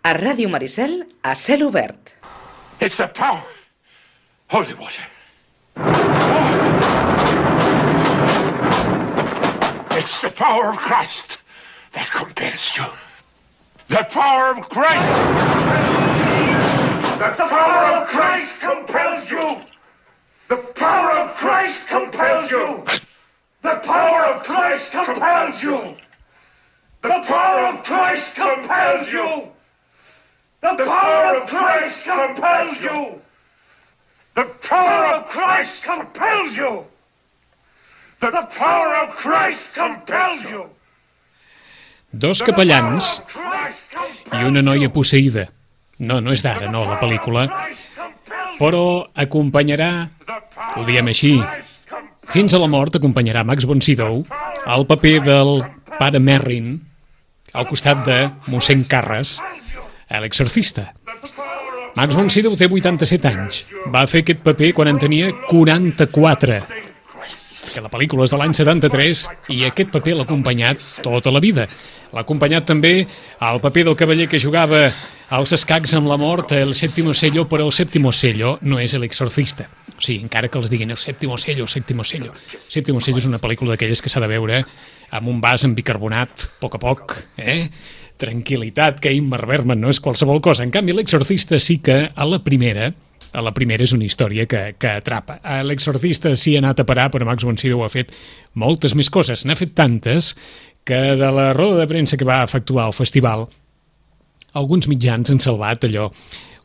A Ràdio Maricel, a cel obert. It's the power. Holy water. It's the power of Christ that compels you. The power of Christ. The power of Christ compels you. The power of Christ compels you. The power of Christ compels you. The power of Christ compels you. The power of Christ compels you. The power of Christ compels you. The power of Christ compels you. Dos capellans i una noia posseïda. No és d'ara, no, la pel·lícula. Però acompanyarà, ho diem així, fins a la mort acompanyarà Max von Sydow al paper del pare Merrin al costat de mossèn Carres, a l'exorcista. Max von Sydow té 87 anys. Va fer aquest paper quan en tenia 44. Que la pel·lícula és de l'any 73 i aquest paper l'ha acompanyat tota la vida. L'ha acompanyat també al paper del cavaller que jugava als escacs amb la mort, el séptimo sello, però el séptimo sello no és l'exorcista. O sigui, encara que els diguin el séptimo sello, el séptimo sello. El séptimo sello és una pel·lícula d'aquelles que s'ha de veure amb un vas amb bicarbonat, a poc, tranquil·litat, que Ingmar Bergman no és qualsevol cosa. En canvi, l'exorcista sí que a la primera és una història que atrapa. A l'exorcista sí ha anat a parar, però Max von Sydow ha fet moltes més coses. N'ha fet tantes que de la roda de premsa que va efectuar al festival, alguns mitjans han salvat allò,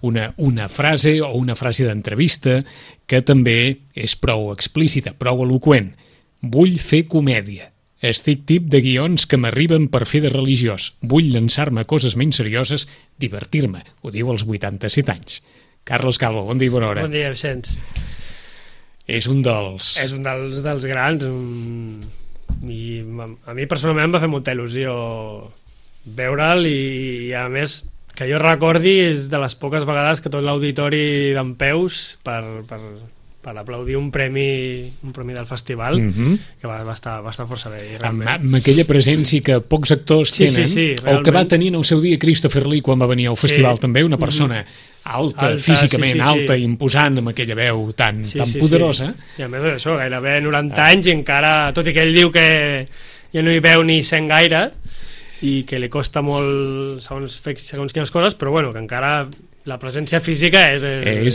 una frase o una frase d'entrevista que també és prou explícita, prou eloqüent. Vull fer comèdia. Estic tip de guions que m'arriben per fer de religiós. Vull llançar-me a coses menys serioses, divertir-me. Ho diu als 87 anys. Carlos Calvo, bon dia i bona hora. Bon dia, Vicenç. És un dels... És un dels grans. I a mi personalment em va fer molta il·lusió veure'l i a més que jo recordi és de les poques vegades que tot l'auditori dempeus per aplaudir un premi del festival, que va estar força bé. Amb aquella presència que pocs actors tenen, o que va tenir en el seu dia Christopher Lee quan va venir al festival també, una persona alta, físicament alta, imposant, amb aquella veu tan poderosa. I a més d'això, gairebé 90 anys i encara, tot i que ell diu que ja no hi veu ni sent gaire i que li costa molt segons quines coses, però bueno, que encara la presència física és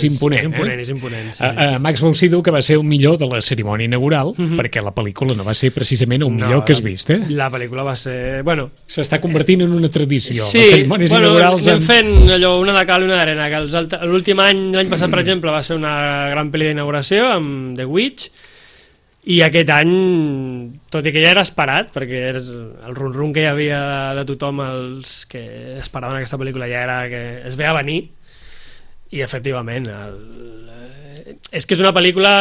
imponent. És imponent. Sí. Max von Sydow, que va ser el millor de la cerimònia inaugural, perquè la pel·lícula no va ser precisament el millor que has vist, La pel·lícula va ser... S'està convertint en una tradició. Sí, les cerimònies inaugurals... anem fent allò, una de cal i una d'arena, que l'últim any, l'any passat, per exemple, va ser una gran pel·li d'inauguració amb The Witch, i aquest any, tot i que ja era esperat, perquè el rum-rum que hi havia de tothom, els que esperaven aquesta pel·lícula, ja era que es veia venir, i efectivament és que és una pel·lícula,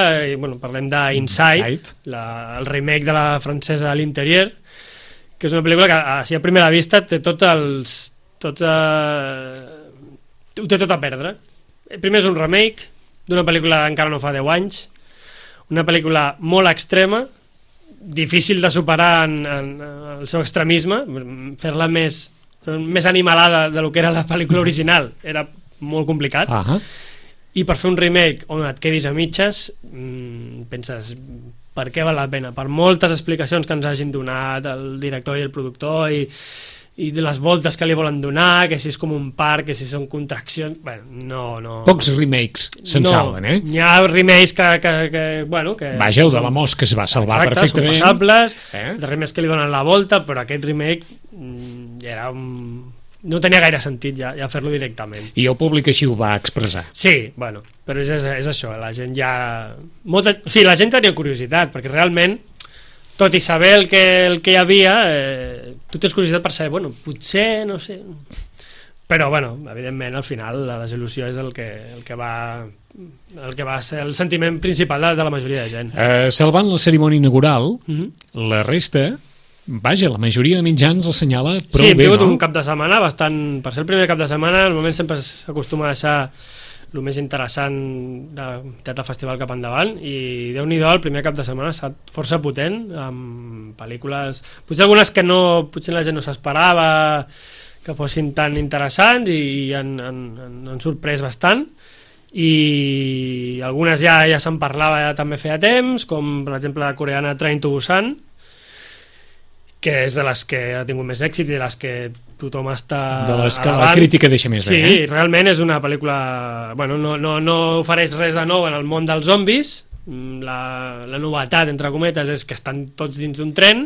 parlem d'Inside, el remake de la francesa L'Intérieur, que és una pel·lícula que així a primera vista té tot a perdre. Primer és un remake d'una pel·lícula que encara no fa 10 anys, una pel·lícula molt extrema, difícil de superar en el seu extremisme, fer-la més animalada de lo que era la pel·lícula original era molt complicat, i per fer un remake on et quedis a mitges, penses, per què val la pena? Per moltes explicacions que ens hagin donat el director i el productor i de les voltes que li volen donar, que si és com un parc, que si són contraccions... no... Pocs remakes se'n salven, Hi ha remakes que Vaja, el de la Mosca es va salvar perfectament. Són passables, els remakes que li donen la volta, però aquest remake era no tenia gaire sentit ja fer-lo directament. I el públic així ho va expressar. Sí, però és això, la gent ja... la gent tenia curiositat, perquè realment, tot i saber el que hi havia, tu tens curiositat per saber, potser, no sé... Però, evidentment, al final, la desil·lusió és el que va ser el sentiment principal de la majoria de gent. Salvant la cerimònia inaugural, la resta... Vaja, la majoria de mitjans assenyala prou bé, no? Sí, hem tingut un cap de setmana bastant... Per ser el primer cap de setmana, normalment sempre s'acostuma a deixar el més interessant del festival cap endavant, i Déu-n'hi-do, el primer cap de setmana ha estat força potent, amb pel·lícules... Potser algunes que potser la gent no s'esperava, que fossin tan interessants i han sorprès bastant, i algunes ja se'n parlava ja també feia temps, com per exemple la coreana Train to Busan, que és de les que ha tingut més èxit i de les que tothom està de les que alabant. la crítica deixa més sí, bé, realment és una pel·lícula, bueno, no ofereix res de nou en el món dels zombis. La novetat, entre cometes, és que estan tots dins d'un tren,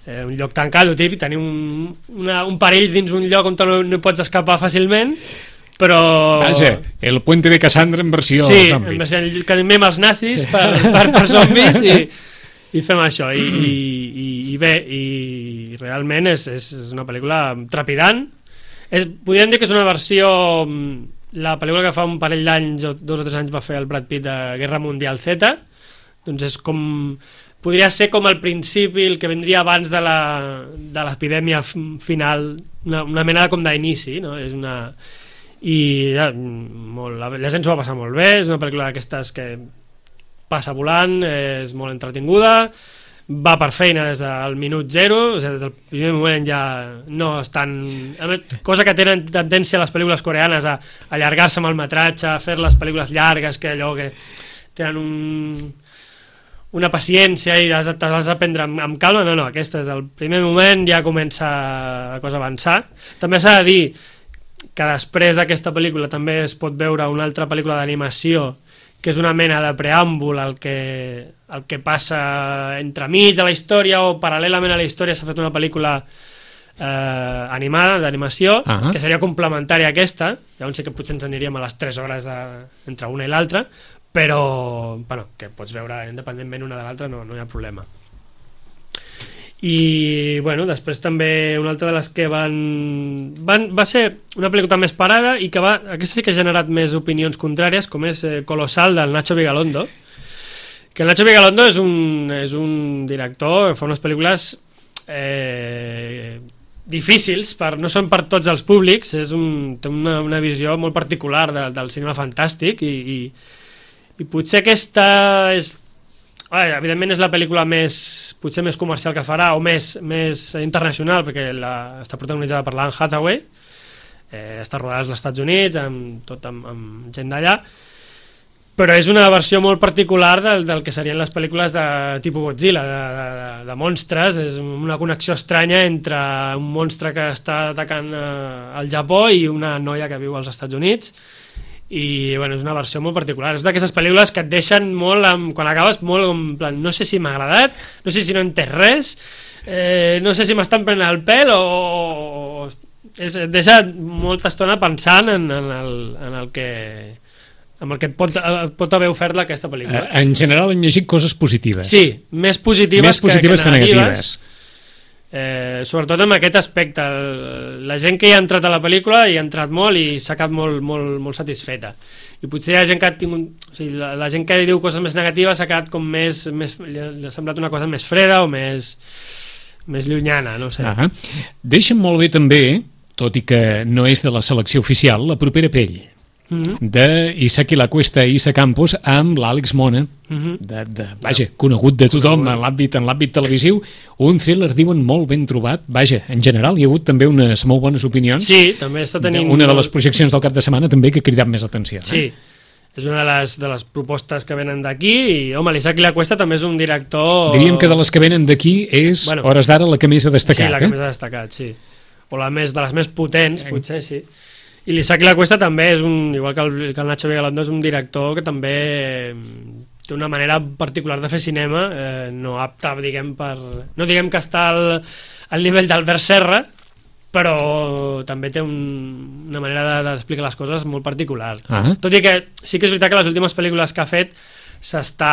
un lloc tancat, i tenir un perill dins un lloc on no pots escapar fàcilment, però... Vaja, el puente de Cassandra en versió sí, zombi. en versió que animem els nazis per zombis i fem això, i bé, i realment és una pel·lícula trepidant. Podríem dir que és una versió... La pel·lícula que fa un parell d'anys o 2 o 3 anys va fer el Brad Pitt de Guerra Mundial Z, doncs és com... Podria ser com el principi, el que vindria abans de l'epidèmia final, una mena com d'inici, no? És una... I ja, la gent s'ho va passar molt bé, és una pel·lícula d'aquestes que passa volant, és molt entretinguda, va per feina des del minut 0, o sigui, des del primer moment ja no estan... Cosa que tenen tendència a les pel·lícules coreanes a allargar-se amb el metratge, a fer les pel·lícules llargues, que allò que tenen una paciència i les has de prendre amb calma. No, aquesta des del primer moment ja comença la cosa a avançar. També s'ha de dir que després d'aquesta pel·lícula també es pot veure una altra pel·lícula d'animació que és una mena de preàmbul al que passa entremig de la història o paral·lelament a la història. S'ha fet una pel·lícula animada, d'animació, que seria complementària a aquesta. Llavors sí que potser ens aniríem a les 3 hores entre una i l'altra, però bueno, que pots veure independentment una de l'altra, no hi ha problema. I bueno, després també una altra de les que va ser una pel·lícula més parada i que aquesta sí que ha generat més opinions contràries, com és Colossal, del Nacho Vigalondo, que el Nacho Vigalondo és un director que fa unes pel·lícules difícils, no són per tots els públics, té una visió molt particular del cinema fantàstic i potser aquesta és... evidentment és la pel·lícula potser més comercial que farà, o més internacional, perquè està protagonitzada per l'Anne Hathaway, està rodada als Estats Units amb gent d'allà, però és una versió molt particular del que serien les pel·lícules de tipus Godzilla, de monstres. És una connexió estranya entre un monstre que està atacant al Japó i una noia que viu als Estats Units. I bueno, és una versió molt particular, és d'aquestes pel·lícules que et deixen molt, quan acabes molt en plan, no sé si m'ha agradat, no sé si no he entès res, no sé si m'estan prenent el pèl o et deixa molta estona pensant en el que et pot haver ofert aquesta pel·lícula. En general hem llegit coses positives. Sí, més positives que negatives. Sobretot en aquest aspecte, la gent que hi ha entrat a la pel·lícula hi ha entrat molt i s'ha quedat molt satisfeta, i potser hi ha gent que ha tingut, o sigui, la gent que diu coses més negatives s'ha quedat com li ha semblat una cosa més freda o més llunyana, no sé. Deixa'm molt bé també, tot i que no és de la selecció oficial, La propera pell, d'Isaki Lacuesta i Isa Campos, amb l'Àlex Mona, vaja, conegut de tothom en l'àmbit televisiu, un thriller, diuen, molt ben trobat. Vaja, en general hi ha hagut també unes molt bones opinions. Sí, també està tenint... Una de les projeccions del cap de setmana també que ha cridat més l'atenció. Sí, és una de les propostes que venen d'aquí, i home, l'Isaki Lacuesta també és un director... Diríem que de les que venen d'aquí és, hores d'ara, la que més ha destacat. Sí, la que més ha destacat, sí. O de les més potents, potser, sí. I l'Isaki Lacuesta també és igual que el Nacho Vigalondo, és un director que també té una manera particular de fer cinema, no apta, no diguem que està al nivell d'Albert Serra, però també té una manera d'explicar les coses molt particular. Tot i que sí que és veritat que les últimes pel·lícules que ha fet s'està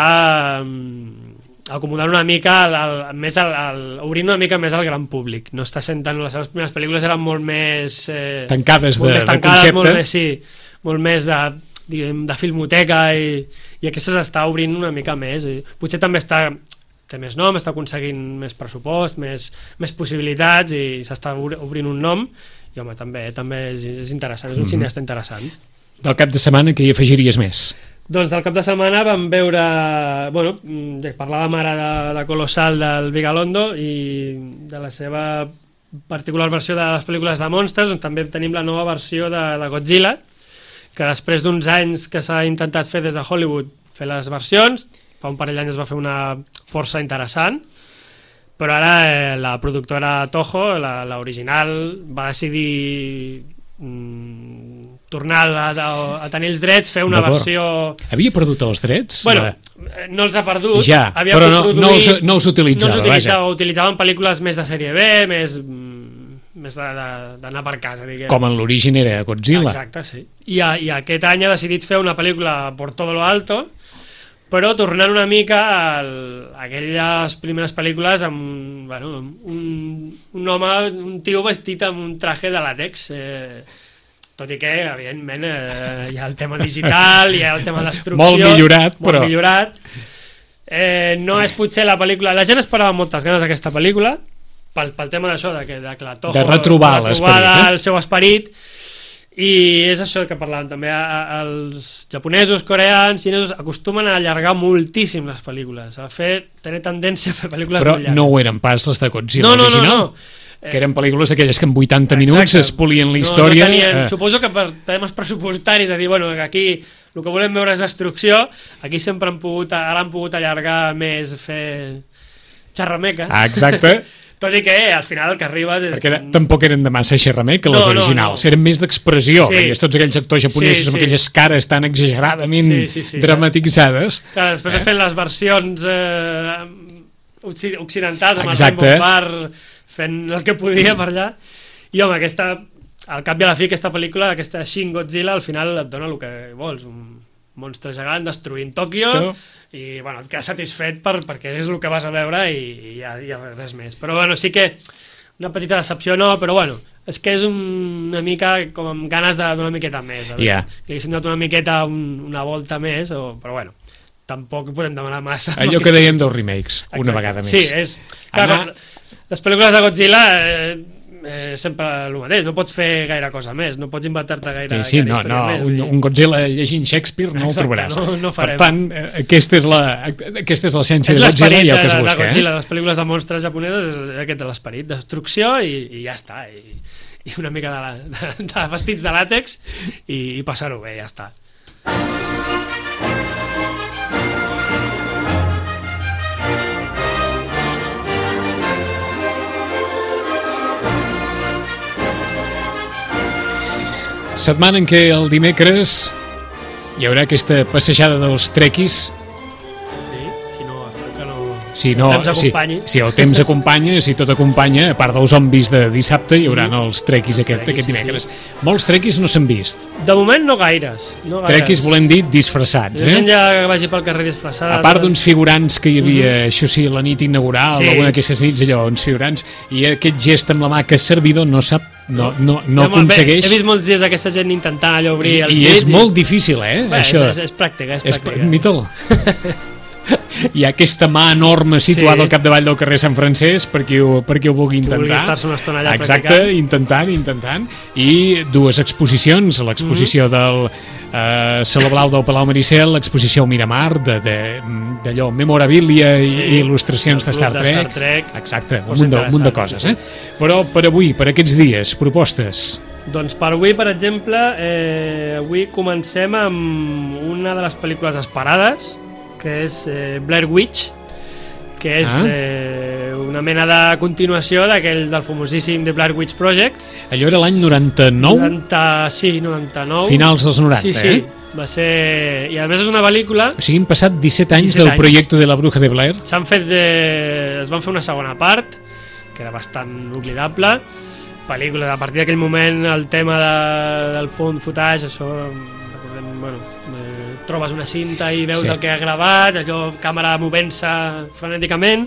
acomodant una mica obrint una mica més al gran públic. No està sent tant... Les seves primeres pel·lícules eren molt més tancades de concepte, molt més de filmoteca, i aquesta s'està obrint una mica més. Potser també té més nom, està aconseguint més pressupost, més possibilitats, i s'està obrint un nom, i home, també és interessant, és un cineasta interessant. Del cap de setmana, què hi afegiries més? Doncs del cap de setmana vam veure, parlàvem ara de Colossal del Vigalondo i de la seva particular versió de les pel·lícules de monstres, on també tenim la nova versió de Godzilla, que després d'uns anys que s'ha intentat fer des de Hollywood fer les versions, fa un parell d'anys es va fer una força interessant, però ara la productora Toho, l'original, va decidir tornar a tenir els drets, fer una versió... Havia perdut els drets? Bueno, no els ha perdut. Ja, però no els utilitzava. Utilitzaven pel·lícules més de sèrie B, més d'anar per casa, diguem. Com en l'origen era Godzilla. Exacte, sí. I aquest any ha decidit fer una pel·lícula por todo lo alto, però tornant una mica a aquelles primeres pel·lícules amb un home, un tio vestit amb un traje de làtex, tot i que, evidentment, hi ha el tema digital, hi ha el tema de destrucció... Molt millorat, però... Molt millorat. No és potser la pel·lícula... La gent esperava moltes ganes d'aquesta pel·lícula, pel tema d'això, de que la Toho... De retrobar el seu esperit, i és això que parlàvem també, els japonesos, coreans, xinesos acostumen a allargar moltíssim les pel·lícules, tenir tendència a fer pel·lícules però molt llargues. No ho eren pas les de Godzilla original? Que eren pel·lícules aquelles que en 80 minuts es polien la història. Suposo que per temes pressupostaris, a dir, aquí el que volem veure és destrucció, aquí sempre han pogut allargar més, fer xerrameca. Exacte. Tot i que al final el que arribes és... Perquè tampoc eren de massa xerrameca les originals, eren més d'expressió, veies tots aquells actors japonesos amb aquelles cares tan exageradament dramatitzades. Clar, després he fet les versions occidentals, amb el Rainbow Bar fent el que podia per allà, i home, al cap i a la fi aquesta pel·lícula, aquesta Shin Godzilla, al final et dona el que vols, un monstre gegant destruint Tòquio, i et quedes satisfet perquè és el que vas a veure i ja res més. Però sí que una petita decepció però és que és una mica com amb ganes de donar una miqueta més, que haguessin donat una miqueta una volta més, però tampoc podem demanar massa. Allò que dèiem dels remakes, una vegada més. Sí, és... Clar, les pel·lícules de Godzilla sempre el mateix, no pots fer gaire cosa més, no pots inventar-te gaire història més. Un Godzilla llegint Shakespeare no el trobaràs. Per tant, aquesta és l'essència de Godzilla i el que es busca. Godzilla, les pel·lícules de monstres japoneses és aquest de l'esperit, destrucció i ja està, i una mica de vestits de làtex i passar-ho bé, ja està. Setmana en què el dimecres hi haurà aquesta passejada dels trequis. Si el temps acompanya, si tot acompanya, a part dels zombis de dissabte, hi haurà els trequis aquest dimecres. Molts trequis no s'han vist. De moment no gaires. Trequis volem dir disfressats. La gent ja vagi pel carrer disfressada. A part d'uns figurants que hi havia, això sí, la nit inaugural, alguna d'aquestes nits, allò, uns figurants, i aquest gest amb la mà que el servidor no sap, no aconsegueix. He vist molts dies aquesta gent intentant allò obrir els dits. I és molt difícil, això. És pràctica. Admita-ho. Hi ha aquesta mà enorme situada al capdavall del carrer Sant Francesc per qui ho vulgui intentar. Vulgui estar-se una estona allà practicant. Intentant. I dues exposicions, l'exposició del Saló Blau del Palau Maricel, l'exposició al Miramar d'allò, memorabilia i il·lustracions de Star Trek. Exacte, un munt de coses. Però per avui, per aquests dies, propostes? Doncs per avui, per exemple, avui comencem amb una de les pel·lícules esperades, que és Blair Witch, que és una mena de continuació del famosíssim The Blair Witch Project. Allò era l'any 99? 99. Finals dels 90, sí. Va ser... I a més és una pel·lícula... O sigui, han passat 17 anys del projecte de la Bruja de Blair. Es van fer una segona part, que era bastant oblidable. Pel·lícula, a partir d'aquell moment, el tema del found footage, això... trobes una cinta i veus el que ha gravat, allò, càmera movent-se frenèticament,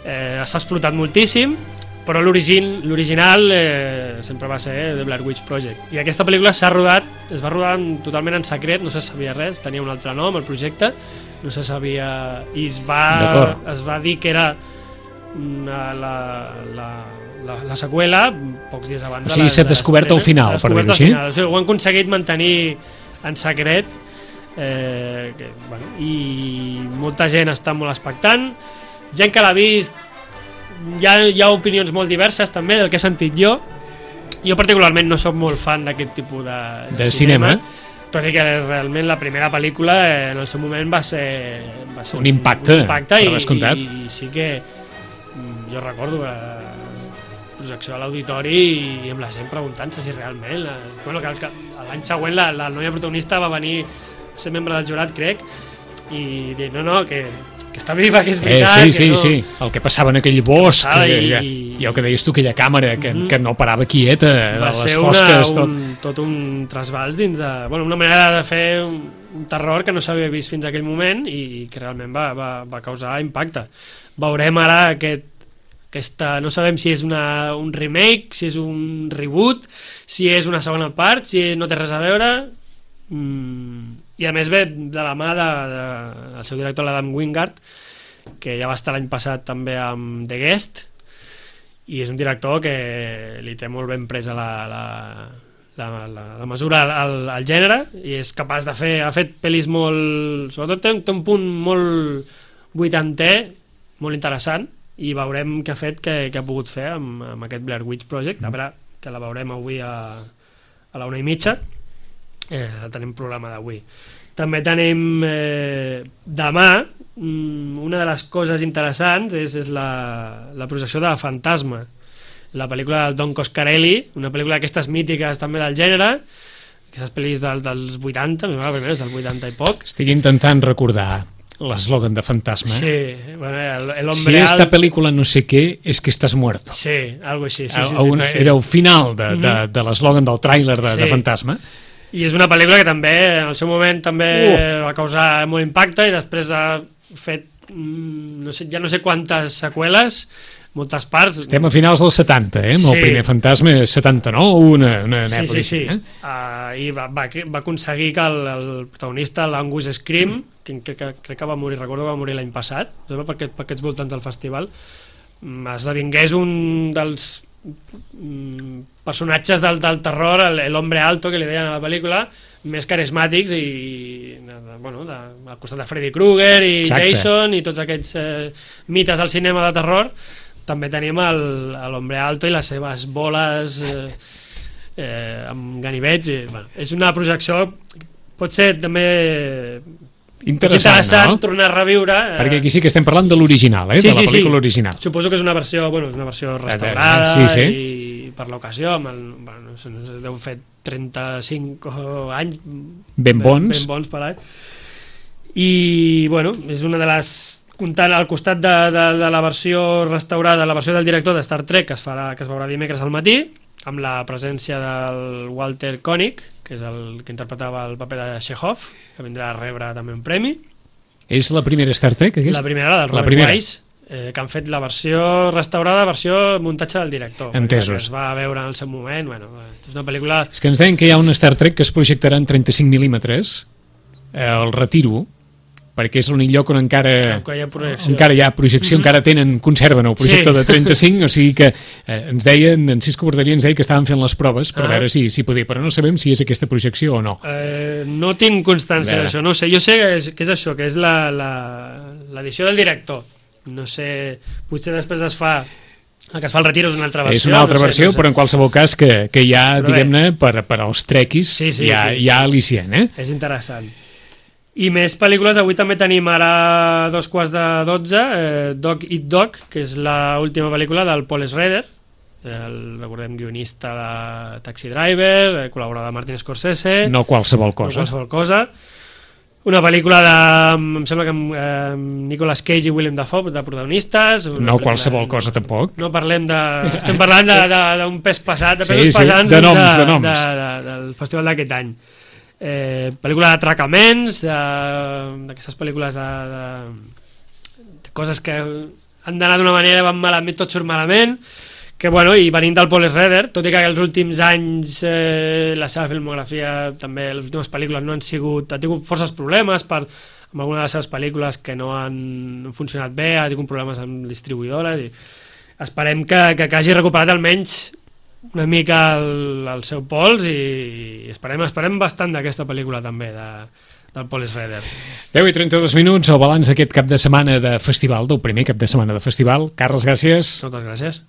s'ha explotat moltíssim, però l'original sempre va ser The Blair Witch Project. I aquesta pel·lícula es va rodar totalment en secret, no se sabia res, tenia un altre nom, el projecte, no se sabia... I es va dir que era la seqüela pocs dies abans de l'estrena. O sigui, s'ha descobert al final, per dir-ho així? Ho han aconseguit mantenir en secret, i molta gent està molt expectant, gent que l'ha vist hi ha opinions molt diverses també del que he sentit jo. Jo particularment no sóc molt fan d'aquest tipus de cinema, tot i que realment la primera pel·lícula en el seu moment va ser un impacte per descomptat. I sí que jo recordo la projecció a l'auditori i amb la gent preguntant-se si realment que l'any següent la noia protagonista va venir a ser membre del jurat, crec, i dir no, que està viva, que és veritat. Sí, el que passava en aquell bosc, i el que deies tu, aquella càmera que no parava quieta, va de les ser fosques, tot un trasbals dins de... una manera de fer un terror que no s'havia vist fins a aquell moment i que realment va causar impacte. Veurem ara no sabem si és un remake, si és un reboot, si és una segona part, si no té res a veure... I a més ve de la mà del seu director, l'Adam Wingard, que ja va estar l'any passat també amb The Guest, i és un director que li té molt ben presa la mesura al gènere, i és capaç de fer... Ha fet pel·lis molt... Sobretot té un punt molt vuitantè, molt interessant, i veurem què ha fet, què ha pogut fer amb aquest Blair Witch Project. A veure, que la veurem avui a la 1:30. Tenim programa d'avui. També tenim demà una de les coses interessants és la projecció de Fantasma, la pel·lícula del Don Coscarelli, una pel·lícula d'aquestes mítiques també del gènere, aquestes pel·lis dels 80, la primera és del 80 i poc. Estic intentant recordar l'eslògan de Fantasma. Sí, bueno, el hombre si esta película no sé què, es que estás muerto. Sí, algo així. Sí. Era el final de l'eslògan del tràiler de Fantasma. I és una pel·lícula que també en el seu moment també va causar molt impacte i després ha fet ja no sé quantes seqüeles, moltes parts. Estem a finals dels 70, amb el primer Fantasma 79, una època. Sí. I va aconseguir que el protagonista, l'Angus Scream, que crec que va morir, recordo que va morir l'any passat, per aquests voltants del festival, esdevingués un dels personatges del terror, l'hombre alto que li deien a la pel·lícula, més carismàtics i al costat de Freddy Krueger i Jason i tots aquests mites del cinema de terror. També tenim l'hombre alto i les seves boles amb ganivets és una projecció, pot ser també interessant, no? Tornar a reviure perquè aquí sí que estem parlant de l'original, de la pel·lícula original. Suposo que és una versió restaurada i per l'ocasió deu fer 35 anys ben bons per any i és una de les, comptant al costat de la versió restaurada, la versió del director de Star Trek que es veurà dimecres al matí, amb la presència del Walter Koenig, que és el que interpretava el paper de Chekhov, que vindrà a rebre també un premi. És la primera Star Trek, aquesta? La primera, la del Robert Wise, que han fet la versió restaurada, versió muntatge del director. Entesos. Que es va veure en el seu moment. És una pel·lícula... És que ens deien que hi ha una Star Trek que es projectarà en 35 mil·límetres, el retiro, perquè és l'únic lloc on encara hi ha projecció, encara conserven el projector de 35, o sigui que ens deien, en Cisco Borderia ens deia que estaven fent les proves per veure si podia, però no sabem si és aquesta projecció o no. No tinc constància d'això, no ho sé. Jo sé que és això, que és l'edició del director. No sé, potser després es fa... El que es fa el retiro és una altra versió. És una altra versió, però en qualsevol cas que hi ha, diguem-ne, per als trequis, hi ha al·licient. És interessant. I més pel·lícules, avui també tenim ara 11:45, Dog Eat Dog, que és l'última pel·lícula del Paul Schrader, recordem, guionista de Taxi Driver, col·laborador de Martin Scorsese. No qualsevol cosa. Una pel·lícula em sembla que amb Nicolas Cage i Willem Dafoe de protagonistes. No qualsevol cosa tampoc. No parlem estem parlant d'un pes pesat, de noms. Del festival d'aquest any. Pel·lícula d'atracaments, d'aquestes pel·lícules de coses que han d'anar d'una manera, van malament, tot surt malament, que i venint del Paul Schrader, tot i que els últims anys la seva filmografia, també les últimes pel·lícules no han tingut forces problemes amb alguna de les seves pel·lícules que no han funcionat bé, ha tingut problemes amb distribuïdores, i esperem que hagi recuperat almenys una mica el seu pols i esperem bastant d'aquesta pel·lícula també, del Police Rider. 10:32, el balanç d'aquest cap de setmana de festival, del primer cap de setmana de festival. Carles, gràcies. Moltes gràcies.